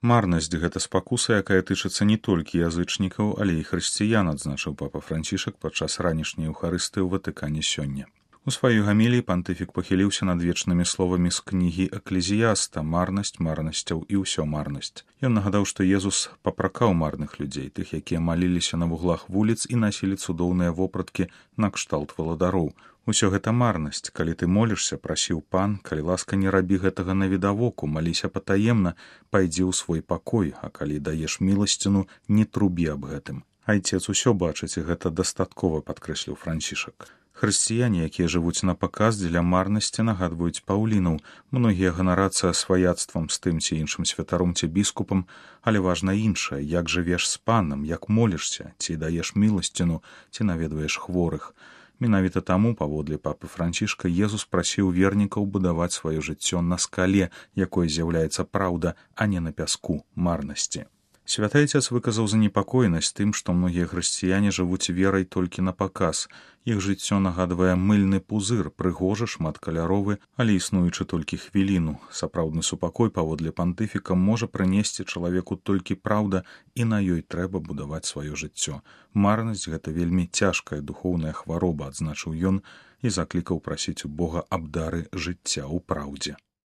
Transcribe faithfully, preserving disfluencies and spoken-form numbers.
Марнасць гэта спакуса, якая тычыцца не толькі язычнікаў, але і хрысціян, адзначыў папа Францішак падчас ранішняй еўхарыстыі ў Ватыкане сёння. У сваёй гаміліі пантыфік пахіліўся над вечнымі словамі з кнігі Эклезіяста «Марнасць марнасцяў і ўсё марнасць». Ён нагадаў, што Езус папракаў марных людзей, тых, якія маліліся на вуглах вуліц і насілі цудоўныя вопраткі накшталт валадароў. Усё гэта марнасць. Калі ты молішся, прасіў пан, калі ласка, не рабі гэтага навідавоку, маліся патаемна, пайдзі ў свой пакой, а калі даеш міласціну, не трубі аб гэтым. Айцец усё бачыць, і гэта дастаткова, падкрэсліў Францішак. Хрысціяне, якія жывуць на паказ дзеля марнасці, нагадваюць паўлінаў. Многія ганарацца сваяцтвам з тым ці іншым святаром ці біскупам, але важна іншае, як жывеш з панам, як молішся, ці даеш міласціну, ці наведваеш хворых. Менавіта таму, паводле папы Францішка, Езус прасіў вернікаў будаваць сваё жыццё на скале, якой з'яўляецца праўда, а не на пяску марнасці. Святы Айцец выказаў занепакоенасць тым, што многія хрысціяне жывуць верай толькі на паказ. Іх жыццё нагадвае мыльны пузыр, прыгожы, шматкаляровы, але існуючы толькі хвіліну. Сапраўдны супакой, паводле пантыфіка, можа прынесці чалавеку толькі праўда, і на ёй трэба будаваць сваё жыццё. Марнасць гэта вельмі цяжкая духоўная хвароба, адзначыў ён, і заклікаў прасіць у Бога аб дары жыцця ў праўдзе.